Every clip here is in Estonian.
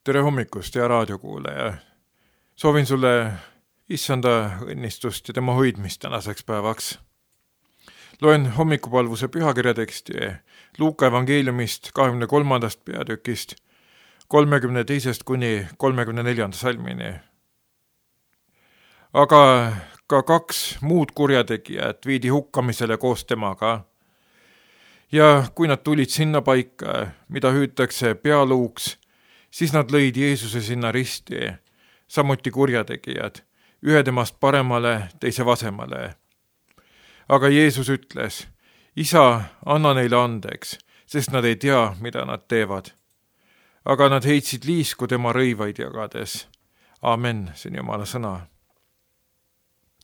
Tere hommikust, hea raadiokuulaja! Soovin sulle issanda õnnistust ja tema hoidmist tänaseks päevaks. Loen hommikupalvuse pühakirjateksti Luuka evangeeliumist 23. peatükist 32. kuni 34. salmini. Aga ka 2 muud kurjategijat viidi hukkamisele koos temaga. Ja kui nad tulid sinna paika, mida hüütakse pealuuks, siis nad lõid Jeesuse sinna risti, samuti kurjategijad, ühe temast paremale, teise vasemale. Aga Jeesus ütles, Isa, anna neile andeks, sest nad ei tea, mida nad teevad. Aga nad heitsid liisku tema rõivaid jagades. Amen, see on Jumala sõna.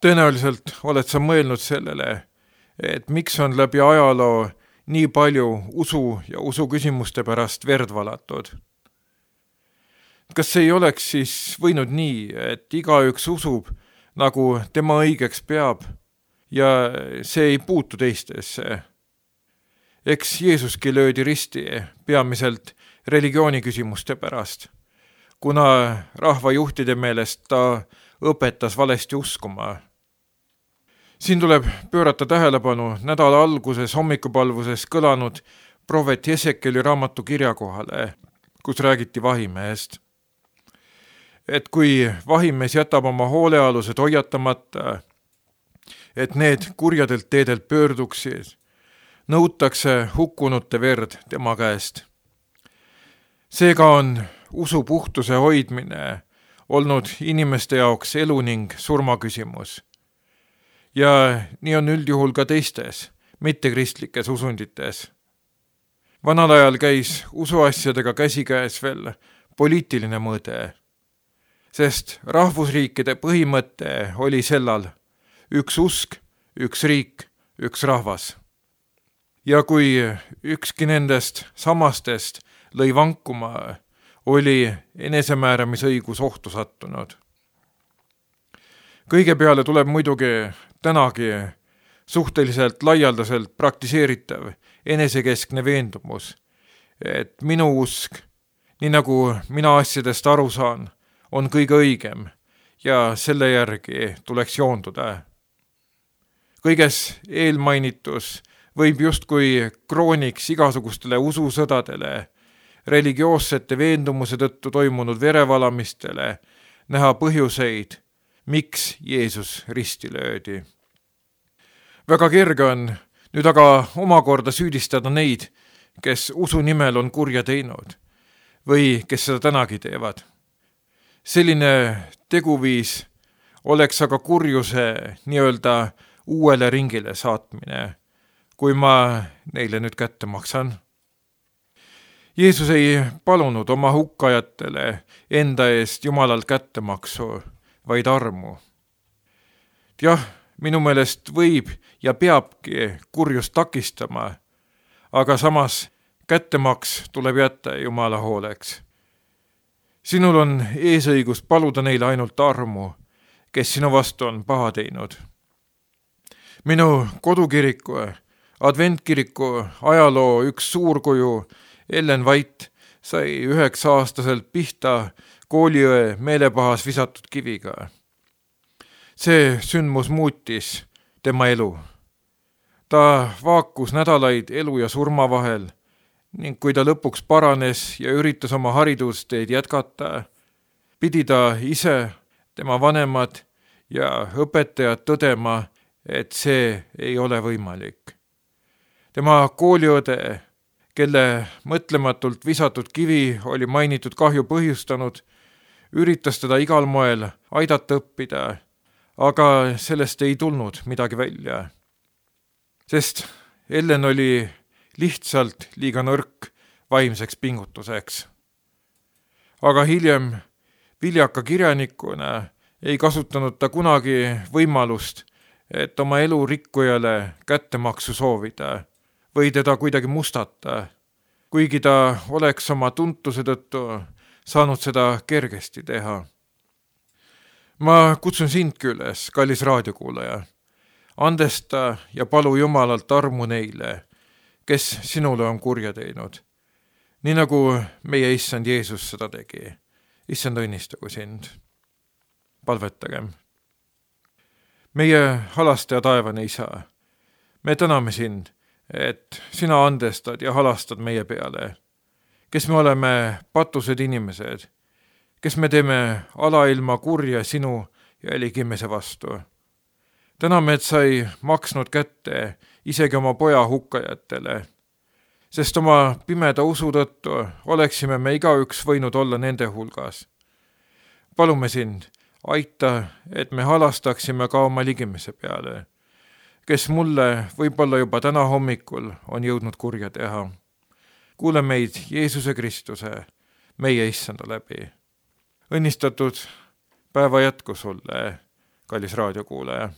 Tõenäoliselt oled sa mõelnud sellele, et miks on läbi ajaloo nii palju usu ja usuküsimuste pärast verd valatud. Kas see ei oleks siis võinud nii, et igaüks usub, nagu tema õigeks peab, ja see ei puutu teistesse? Eks Jeesuski löödi risti peamiselt religiooniküsimuste pärast, kuna rahvajuhtide meelest ta õpetas valesti uskuma. Siin tuleb pöörata tähelepanu nädala alguses hommikupalvuses kõlanud prohvet Jesekeli raamatu kirjakohale, kus räägiti vahimehest. Et kui vahimees jätab oma hoolealused hoiatamata, et need kurjadelt teedelt pöörduksid, nõutakse hukkunute verd tema käest. Seega on usu puhtuse hoidmine olnud inimeste jaoks elu ning surma küsimus. Ja nii on üldjuhul ka teistes, mittekristlikes usundites. Vanal ajal käis usuasjadega käsikäes veel poliitiline mõõde, sest rahvusriikide põhimõte oli sellal üks usk, üks riik, üks rahvas. Ja kui ükski nendest samastest lõi vankuma, oli enesemääramisõigus ohtu sattunud. Kõige peale tuleb muidugi tänagi suhteliselt laialdaselt praktiseeritav enesekeskne veendumus, et minu usk, nii nagu mina asjadest aru saan, on kõige õigem ja selle järgi tuleks joonduda. Kõiges eelmainitus võib justkui krooniks igasugustele ususõdadele, religioossete veendumuse tõttu toimunud verevalamistele näha põhjuseid, miks Jeesus risti löödi. Väga kerge on nüüd aga omakorda süüdistada neid, kes usu nimel on kurja teinud või kes seda tänagi teevad. Selline teguviis oleks aga kurjuse nii-öelda uuele ringile saatmine, kui ma neile nüüd kätte maksan. Jeesus ei palunud oma hukkajatele enda eest Jumalalt kättemaksu, vaid armu. Jah, minu meelest võib ja peabki kurjust takistama, aga samas kättemaks tuleb jätta Jumala hooleks. Sinul on eesõigus paluda neile ainult armu, kes sinu vastu on paha teinud. Minu kodukiriku, adventkiriku ajaloo üks suurkuju Ellen White sai 9-aastaselt pihta kooliõe meelepahas visatud kiviga. See sündmus muutis tema elu. Ta vaakus nädalaid elu ja surma vahel ning kui ta lõpuks paranes ja üritas oma haridusteed jätkata, pidi ta ise, tema vanemad ja õpetajad tõdema, et see ei ole võimalik. Tema kooliõde, kelle mõtlematult visatud kivi oli mainitud kahju põhjustanud, üritas teda igal moel aidata õppida, aga sellest ei tulnud midagi välja. Sest Ellen oli lihtsalt liiga nõrk vaimseks pingutuseks. Aga hiljem viljaka kirjanikuna ei kasutanud ta kunagi võimalust, et oma elu rikkujale kättemaksu soovida või teda kuidagi mustata, kuigi ta oleks oma tuntuse tõttu saanud seda kergesti teha. Ma kutsun sindki üles, kallis raadiokuulaja, andesta ja palu Jumalalt armu neile, kes sinule on kurja teinud, nii nagu meie issand Jeesus seda tegi. issand, õnnistagu sind. Palvetagem. meie halastaja taevane isa, me täname sind, et sina andestad ja halastad meie peale, kes me oleme patused inimesed, kes me teeme alailma kurja sinu jälgimise vastu. Täname, et sa ei maksnud kätte isegi oma poja hukkajatele, sest oma pimeda usu tõttu oleksime me igaüks võinud olla nende hulgas. Palume sind, aita, et me halastaksime ka oma ligimise peale, kes mulle võib-olla juba täna hommikul on jõudnud kurja teha. Kuule meid Jeesuse Kristuse, meie issanda läbi. Õnnistatud päeva jätku sulle, kallis raadiokuulaja.